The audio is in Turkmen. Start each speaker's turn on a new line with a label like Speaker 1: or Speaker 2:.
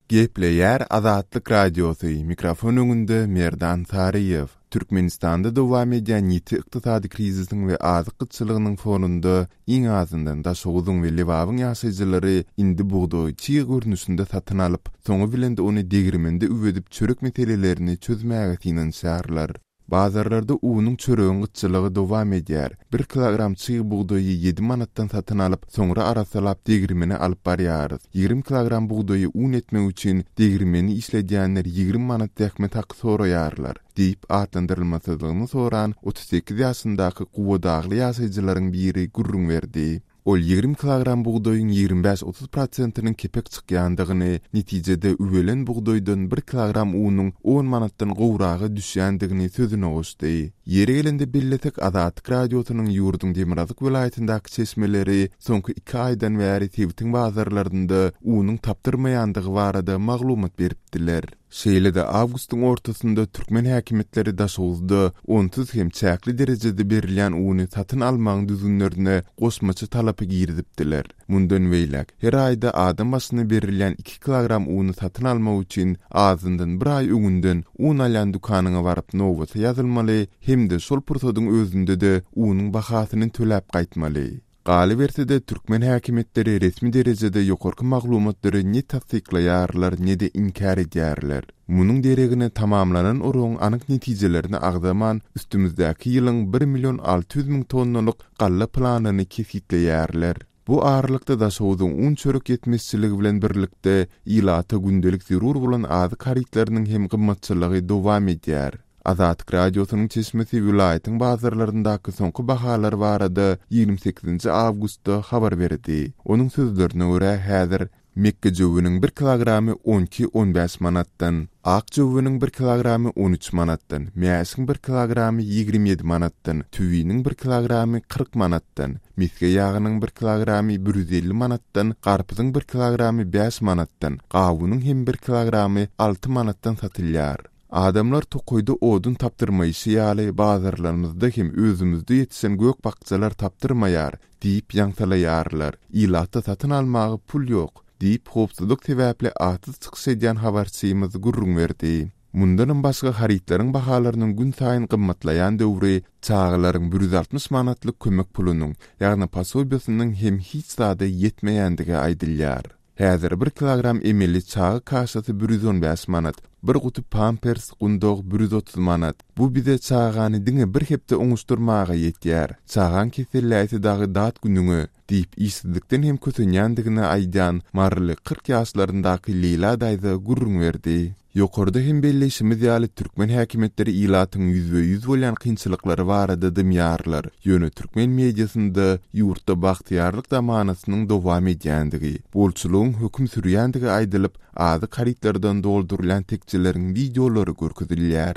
Speaker 1: Gepleýär Azatlyk Radiosy, mikrofon öňünde Merdan Saryýew. Türkmenistanda dowam edýän ýiti ykdysady krizisiň we azyk gytçylygynyň fonunda iň azyndan Daşoguzyň we Lebabyň ýaşaýjylary indi bugdaýy çig görnüşinde satyn alyp, soňy bilen-de ony degirmende üwedip çörek meselelerini çözmäge synanyşýarlar. Bazarlarda unuň çöregiň gytçylygy dowam edýär. Bir kilogram çyg bugdaýy ýedi manatdan satyn alyp, soňra arassalap degirmene alyp barýarys. 20 kilogram bugdaýy un etmek üçin degirmeni işledýänler 20 manat zähmet haky soraýarlar, diýip, atlandyrylmasyzlygyny soran 38 ýaşyndaky guwadagly ýaşaýjylaryň biri gürrüň berdi. Ol 20 kilogram bugdaýyň 25-30 prosentiniň kepek çykýandygyny, netijede üwelen bugdaýdan bir kilogram unuň on manatdan gowraga düşýändigini sözüne goşdy. Ýeri gelende bellesek, Azatlyk Radiosynyň ýurduň demirgazyk welaýatyndaky çeşmeleri soňky iki aýdan bäri sebitiň bazarlarynda unuň tapdyrmaýandygy barada maglumat beripdiler. Şeýle-de, awgustyň ortasynda türkmen häkimiýetleri Daşoguzda onsuz hem çäkli derejede berilýän uny satyn almagyň düzgünlerine goşmaça talapy girizipdiler. Mundan beýläk, her aýda adam başyna berilýän iki kilogram uny satyn almak üçin azyndan bir aý öňünden un alýan dükanyňa baryp nobata ýazylmaly hem-de şol pursadyň özünde-de unuň bahasyny töläp gaýtmaly. Galyberse-de, türkmen häkimiýetleri resmi derejede ýokarky maglumatlary ne tassyklaýarlar, ne-de inkär edýärler. Munuň deregine tamamlanan oragyň anyk netijelerini agzaman, üstümizdäki ýylyň bir million 600 müň tonnalyk galla planyny kesgitleýärler. Bu aralykda Daşoguzyň un-çörek ýetmezçiligi bilen birlikde, ilata gündelik zerur bolan azyk harytlarynyň hem gymmatçylygy dowam edýär. Azatlyk Radiosynyň çeşmesi welaýatyň bazarlaryndaky soňky bahalar barada 28-nji awgustda habar berdi. Onuň sözlerine görä, häzir mekgejöweniň bir kilogramy on iki, on bäş manatdan, ak jöweniň bir kilogramy on üç manatdan, mäşiň bir kilogramy 27 manatdan, tüwiniň bir kilogramy 40 manatdan, mesge ýagynyň bir kilogramy 150 manatdan, garpyzyň bir kilogramy bäş manatdan, gawunyň hem bir kilogramy alty manatdan satylýar. Adamlar tokaýda odun tapdyrmaýşy ýaly, bazarlarymyzda hem özümizde ýetişen gök-bakjalar tapdyrmaýar diýip ýaňsalaýarlar. Ilatda satyn almaga pul ýok, diýip, howpsuzlyk sebäpli atsyz çykyş edýän habarçymyz gürrüň berdi. Mundanam başga harytlaryň bahalarynyň günsaýyn gymmatlaýan döwri çagalaryň 160 manatlyk kömek pulunyň, ýagny posobiýasynyň hem hiç zada ýetmeýändigi aýdylýar. Häzir bir kilogram emeli çaga kaşasy 115 manat, bir guty pampers, gundag 130 manat. Bu bize çagany diňe bir hepde oňuşdyrmaga ýetýär. Çagaň keselläýse dagy dat günüňe, diýip, işsizlikden hem kösenýändigini aýdýan maryly 40 ýaşlaryndaky Leýla daýza gürrüň berdi. Ýokarda hem belleýşimiz ýaly, türkmen häkimiýetleri ilatyň ýüzbe-ýüz bolýan kynçylyklary barada dymýarlar. Ýöne türkmen mediasynda ýurtda bagtyýarlyk zamanasynyň dowam edýändigi, bolçulygyň höküm sürýändigi aýdylyp, azyk harytlardan doldurylýan tekjeleriň wideolary görkezilýär.